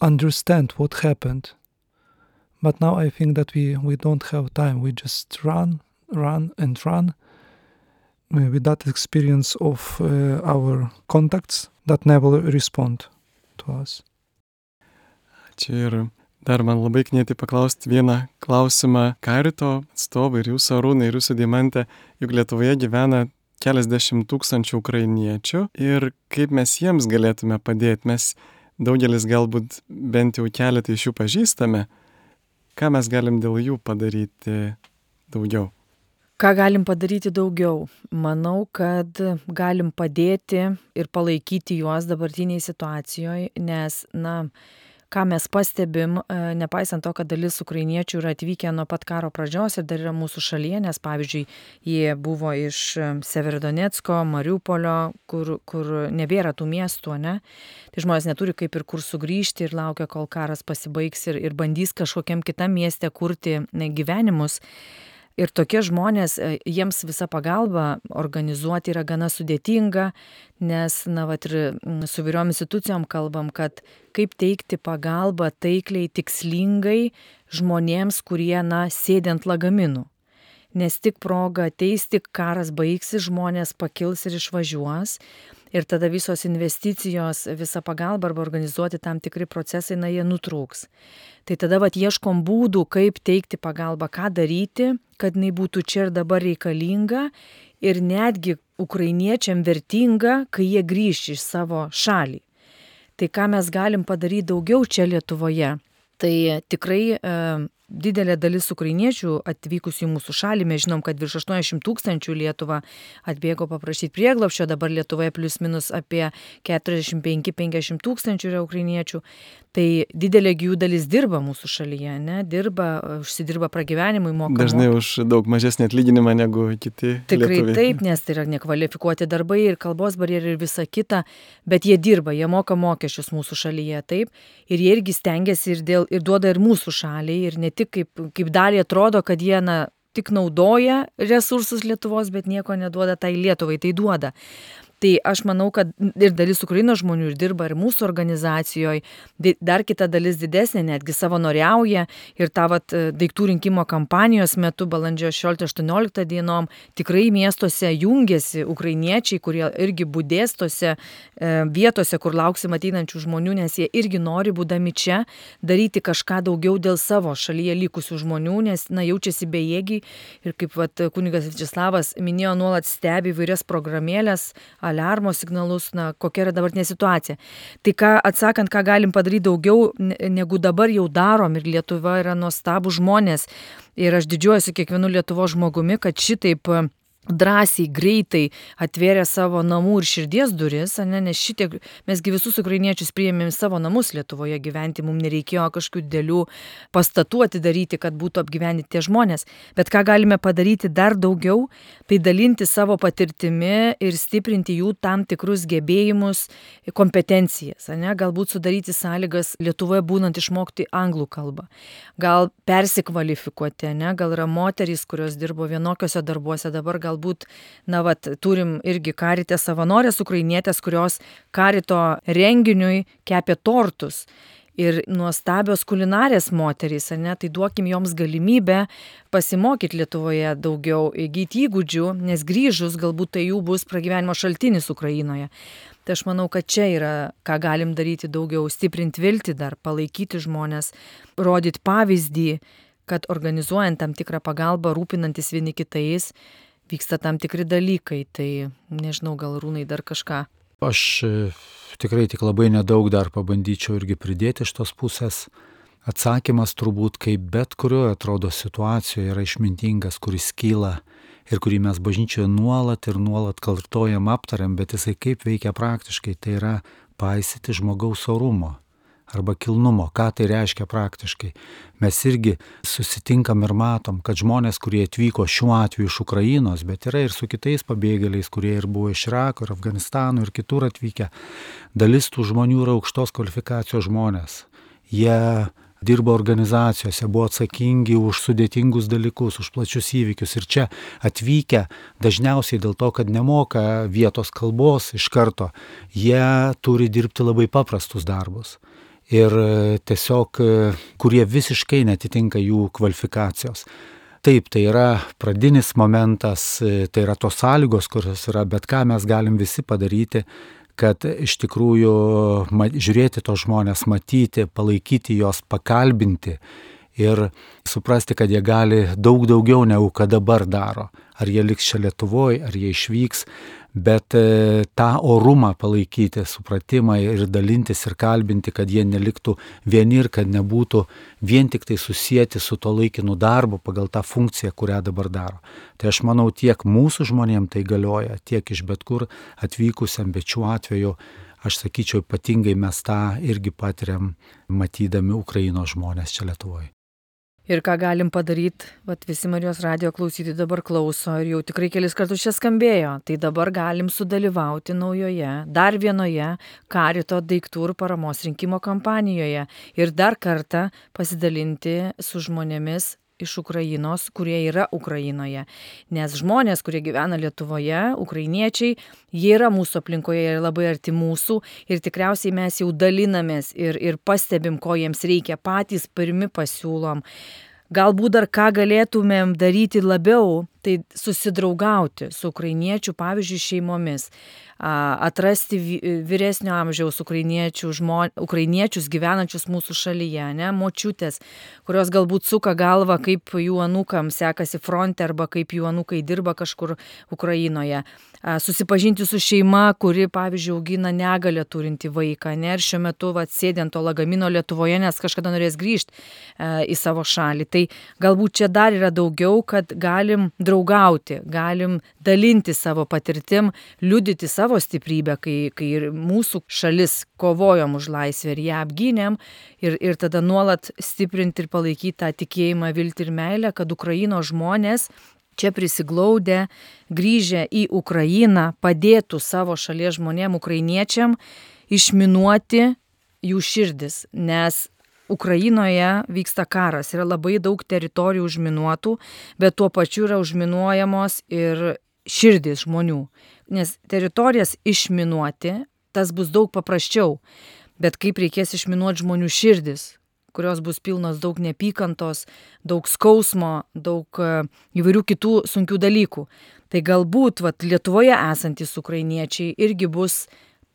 understand what happened. But now I think that we don't have time. We just run with that experience of our contacts that never respond to us. Čia ir dar man labai knieti paklausti vieną klausimą karito atstovai ir jūsų Arūnai, ir jūsų Deimante, juk Lietuvoje gyvena keliasdešimt tūkstančių ukrainiečių ir kaip mes jiems galėtume padėti. Mes daugelis galbūt bent jau keletą iš jų pažįstame. Ką mes galim dėl jų padaryti daugiau? Ką galim padaryti daugiau? Manau, kad galim padėti ir palaikyti juos dabartiniai situacijoje, nes, ką mes pastebim, nepaisant to, kad dalis ukrainiečių yra atvykę nuo pat karo pradžios ir dar yra mūsų šalyje, nes, pavyzdžiui, jie buvo iš Severodonecko, Mariupolio, kur nebėra tų miestų, ne? Tai žmonės neturi kaip ir kur sugrįžti ir laukia, kol karas pasibaigs ir bandys kažkokiam kitam mieste kurti gyvenimus. Ir tokie žmonės, jiems visa pagalba organizuoti yra gana sudėtinga, nes, ir su vyriom institucijom kalbam, kad kaip teikti pagalbą taikliai, tikslingai žmonėms, kurie, sėdi ant lagaminų. Nes tik proga ateis, tik karas baigsis, žmonės pakils ir išvažiuos. Ir tada visos investicijos, visa pagalba arba organizuoti tam tikri procesai, jie nutrūks. Tai tada ieškom būdų, kaip teikti pagalbą, ką daryti, kad jinai būtų čia ir dabar reikalinga ir netgi ukrainiečiam vertinga, kai jie grįš iš savo šalį. Tai ką mes galim padaryti daugiau čia Lietuvoje? Tai tikrai didelė dalis ukrainiečių atvykusių į mūsų šalį, mes žinom, kad virš 80 tūkstančių Lietuvą atbėgo paprašyti prieglobsčio, dabar Lietuvoje plius minus apie 45-50 tūkstančių yra ukrainiečių. Tai didelė jų dalis dirba mūsų šalyje, užsidirba pragyvenimui, moka. Dažnai už daug mažesnį atlyginimą negu kiti Tikrai lietuviai. Taip, nes tai yra nekvalifikuoti darbai ir kalbos barjerai ir visa kita, bet jie dirba, jie moka mokesčius mūsų šalyje, taip, ir jie irgi stengiasi ir duoda ir mūsų šaliai, ir ne tik kaip dalį atrodo, kad jie tik naudoja resursus Lietuvos, bet nieko neduoda tai Lietuvai, tai duoda. Tai aš manau, kad ir dalis Ukrainos žmonių ir dirba ir mūsų organizacijoje, dar kita dalis didesnė, netgi savanoriauja ir tą daiktų rinkimo kampanijos metu balandžio 16-18 dienom tikrai miestuose jungiasi ukrainiečiai, kurie irgi budės tose vietose, kur lauksim ateinančių žmonių, nes jie irgi nori, būdami čia, daryti kažką daugiau dėl savo šalyje likusių žmonių, nes jaučiasi bejėgiai ir kaip kunigas Viačeslavas minėjo, nuolat stebi įvairias programėlės, aliarmo signalus, kokia yra dabartinė situacija. Tai atsakant, ką galim padaryti daugiau, negu dabar jau darom, ir Lietuva yra nuostabų žmonės. Ir aš didžiuojuosi kiekvienu Lietuvos žmogumi, kad šitaip drąsiai, greitai atvėrė savo namų ir širdies duris, nes šitiek, mesgi visus ukrainiečius priėmėm savo namus Lietuvoje gyventi, mums nereikėjo kažkokių didelių pastatų atidaryti, kad būtų apgyvendinti tie žmonės. Bet ką galime padaryti dar daugiau, tai dalinti savo patirtimi ir stiprinti jų tam tikrus gebėjimus, kompetencijas, galbūt sudaryti sąlygas Lietuvoje būnant išmokti anglų kalbą, gal persikvalifikuoti, gal yra moterys, kurios dirbo vienokiuose darbuose, dabar galbūt, turim irgi Karite savanorės ukrainietės, kurios Karito renginiui kepė tortus. Ir nuostabios kulinarės moterys, tai duokim joms galimybę pasimokyti Lietuvoje daugiau, įgyti įgūdžių, nes grįžus galbūt tai jų bus pragyvenimo šaltinis Ukrainoje. Tai aš manau, kad čia yra, ką galim daryti daugiau, stiprinti viltį dar, palaikyti žmonės, rodyti pavyzdį, kad organizuojant tam tikrą pagalbą, rūpinantis vieni kitais, vyksta tam tikri dalykai, tai nežinau, gal Rūnai dar kažką. Aš tikrai tik labai nedaug dar pabandyčiau irgi pridėti iš tos pusės. Atsakymas turbūt, kaip bet kurioje atrodo situacijoje yra išmintingas, kuris kyla ir kurį mes bažnyčioje nuolat kartojam, aptariam, bet jisai kaip veikia praktiškai, tai yra paisyti žmogaus orumo arba kilnumo. Ką tai reiškia praktiškai? Mes irgi susitinkam ir matom, kad žmonės, kurie atvyko šiuo atveju iš Ukrainos, bet yra ir su kitais pabėgėliais, kurie ir buvo iš Irako, ir Afganistano, ir kitur atvykę, dalis tų žmonių yra aukštos kvalifikacijos žmonės. Jie dirbo organizacijose, buvo atsakingi už sudėtingus dalykus, už plačius įvykius ir čia atvykę dažniausiai dėl to, kad nemoka vietos kalbos iš karto, jie turi dirbti labai paprastus darbus. Ir tiesiog, kurie visiškai netitinka jų kvalifikacijos. Taip, tai yra pradinis momentas, tai yra tos sąlygos, kurios yra, bet ką mes galim visi padaryti, kad iš tikrųjų žiūrėti tos žmonės, matyti, palaikyti jos, pakalbinti ir suprasti, kad jie gali daug daugiau negu kad dabar daro. Ar jie liks čia Lietuvoje, ar jie išvyks, bet tą orumą palaikyti, supratimą ir dalintis ir kalbinti, kad jie neliktų vieni ir kad nebūtų vien tik tai susijęti su to laikinu darbu pagal tą funkciją, kurią dabar daro. Tai aš manau, tiek mūsų žmonėm tai galioja, tiek iš bet kur atvykusiam, bet šiuo atveju aš sakyčiau, ypatingai mes tą irgi patiriam, matydami Ukrainos žmonės čia Lietuvoje. Ir ką galim padaryti, visi Marijos radijo klausytojai dabar klauso ir jau tikrai kelis kartus čia skambėjo, tai dabar galim sudalyvauti naujoje, dar vienoje Karito daiktų ir paramos rinkimo kampanijoje ir dar kartą pasidalinti su žmonėmis iš Ukrainos, kurie yra Ukrainoje. Nes žmonės, kurie gyvena Lietuvoje, ukrainiečiai, jie yra mūsų aplinkoje ir labai arti mūsų ir tikriausiai mes jau dalinamės ir pastebim, ko jiems reikia, patys pirmi pasiūlom. Galbūt dar ką galėtumėm daryti labiau, tai susidraugauti su ukrainiečių, pavyzdžiui, šeimomis, atrasti vyresnio amžiaus ukrainiečius gyvenančius mūsų šalyje, močiutės, kurios galbūt suka galvą, kaip jų anūkam sekasi fronte arba kaip jų anūkai dirba kažkur Ukrainoje. Susipažinti su šeima, kuri, pavyzdžiui, augina negalią turinti vaiką, ir šiuo metu sėdint to lagamino Lietuvoje, nes kažkada norės grįžti į savo šalį. Tai galbūt čia dar yra daugiau, kad galim draugauti, galim dalinti savo patirtim, liudyti savo stiprybę, kai ir mūsų šalis kovojom už laisvę ir ją apgynėm ir tada nuolat stiprinti ir palaikyti tą tikėjimą, viltį ir meilę, kad Ukrainos žmonės čia prisiglaudę, grįžę į Ukrainą, padėtų savo šalies žmonėm, ukrainiečiam, išminuoti jų širdis, nes Ukrainoje vyksta karas, yra labai daug teritorijų užminuotų, bet tuo pačiu yra užminuojamos ir širdis žmonių. Nes teritorijas išminuoti, tas bus daug paprasčiau, bet kaip reikės išminuoti žmonių širdis, kurios bus pilnos daug neapykantos, daug skausmo, daug įvairių kitų sunkių dalykų. Tai galbūt Lietuvoje esantys ukrainiečiai irgi bus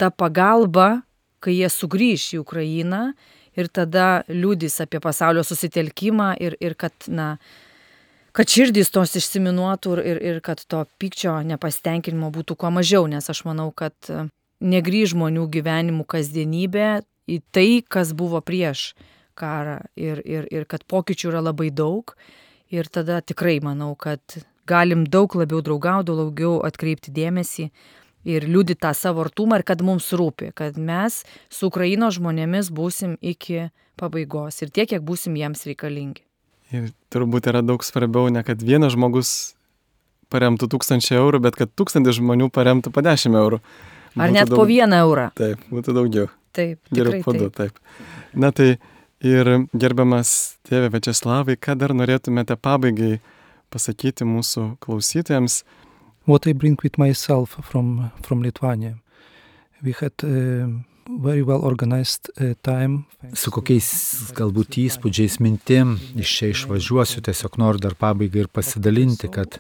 ta pagalba, kai jie sugrįš į Ukrainą ir tada liudys apie pasaulio susitelkimą ir kad širdys tos išsiminuotų ir kad to pykčio nepasitenkinimo būtų kuo mažiau, nes aš manau, kad negrįž žmonių gyvenimų kasdienybė į tai, kas buvo prieš karą ir kad pokyčių yra labai daug ir tada tikrai manau, kad galim daug labiau draugauti, daugiau atkreipti dėmesį ir liudyti tą savo artumą ir kad mums rūpi, kad mes su Ukrainos žmonėmis būsim iki pabaigos ir tiek, kiek būsim jiems reikalingi. Ir turbūt yra daug svarbiau, ne kad vienas žmogus paremtų 1000 eurų, bet kad 1000 žmonių paremtų po 10 eurų. Ar net po 1 eurą. Taip, būtų daugiau. Taip, Geriau tikrai po 2, taip. taip. Na tai ir gerbiamas tėve Viačeslavai, ką dar norėtumėte pabaigai pasakyti mūsų klausytojams? What I bring with myself from Lithuania. We had very well organized time. Su kokiais galbūt įspūdžiais, mintim iš čia išvažiuosiu, tiesiog noriu dar pabaigai ir pasidalinti, kad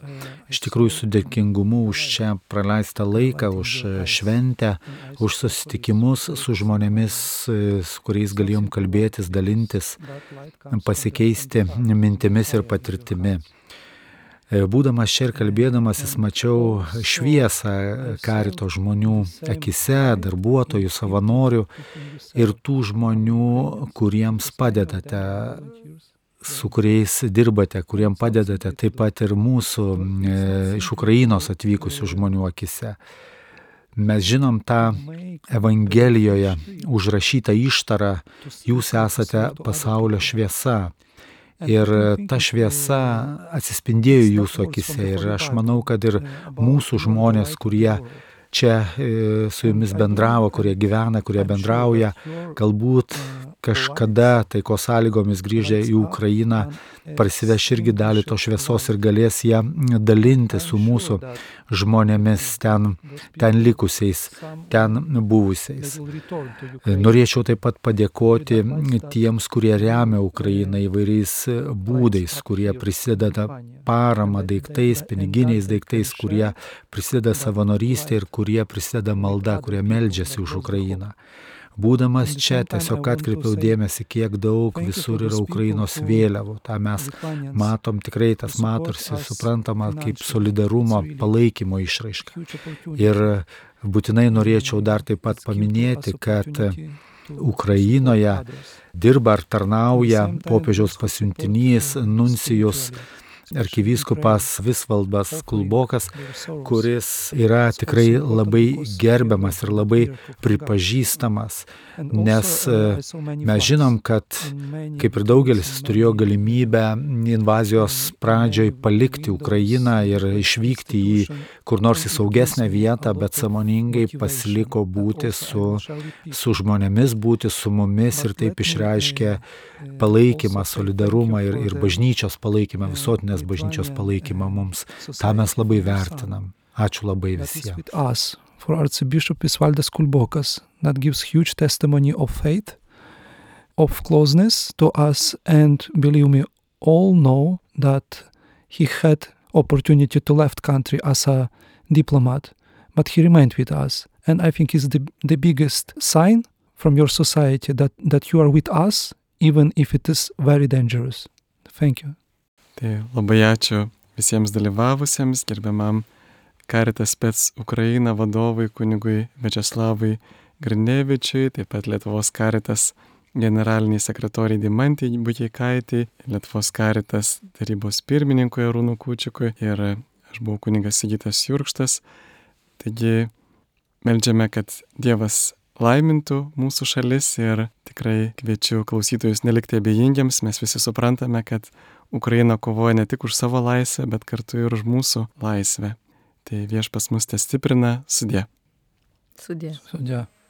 iš tikrųjų su dėkingumu už čia praleistą laiką, už šventę, už susitikimus su žmonėmis, su kuriais galėjom kalbėtis, dalintis, pasikeisti mintimis ir patirtimi. Būdamas čia ir kalbėdamasis mačiau šviesą karito žmonių akise, darbuotojų, savanorių ir tų žmonių, kuriems padedate, su kuriais dirbate, kuriems padedate, taip pat ir mūsų iš Ukrainos atvykusių žmonių akise. Mes žinom tą Evangelijoje užrašytą ištarą, jūs esate pasaulio šviesa. Ir ta šviesa atsispindėjo jūsų akise ir aš manau, kad ir mūsų žmonės, kurie čia su jumis bendravo, kurie gyvena, kurie bendrauja, galbūt kažkada taikos sąlygomis grįžę į Ukrainą parsiveš irgi dalį to šviesos ir galės ją dalinti su mūsų žmonėmis ten likusiais, ten buvusiais. Norėčiau taip pat padėkoti tiems, kurie remia Ukrainą įvairiais būdais, kurie prisideda paramą daiktais, piniginiais daiktais, kurie prisideda savanorystė ir kurie prisideda malda, kurie meldžiasi už Ukrainą. Būdamas čia tiesiog atkreipiau dėmesį, kiek daug visur yra Ukrainos vėliavų. Ta mes matom, tikrai tas matosi, suprantama, kaip solidarumo, palaikymo išraiška. Ir būtinai norėčiau dar taip pat paminėti, kad Ukrainoje dirba ar tarnauja popiežiaus pasiuntinys, nuncijus, arkivyskupas Visvaldas Kulbokas, kuris yra tikrai labai gerbiamas ir labai pripažįstamas, nes mes žinom, kad kaip ir daugelis jis turėjo galimybę invazijos pradžioj palikti Ukrainą ir išvykti į kur nors į saugesnę vietą, bet sąmoningai pasiliko būti su žmonėmis, būti su mumis ir taip išreiškė palaikymą, solidarumą ir bažnyčios palaikymą, visuotinės bažnyčios palaikymą mums. Ta mes labai vertinam. Ačiū labai visiems. For Archbishop Visvaldas Kulbokas, that gives huge testimony of faith, of closeness to us, and believe me, all know that he had opportunity to left country as a diplomat, but he remained with us. And I think it's the biggest sign from your society that you are with us, even if it is very dangerous. Thank you. Tai labai ačiū visiems dalyvavusiems, gerbiamam Caritas Spec Ukraina vadovui kunigui Viačeslavui Grinevičiui, taip pat Lietuvos Caritas generaliniai sekretoriai Deimantei Bukeikaitei, Lietuvos Caritas tarybos pirmininkui Arūnui Kūčikui ir aš buvau kunigas Sigitas Jurkštas. Taigi meldžiame, kad Dievas laimintų mūsų šalis ir tikrai kviečiu klausytojus nelikti abejingiams. Mes visi suprantame, kad Ukraina kovoja ne tik už savo laisvę, bet kartu ir už mūsų laisvę. Tai Viešpats mus te stiprina. Sudie. Sudie. Sudie.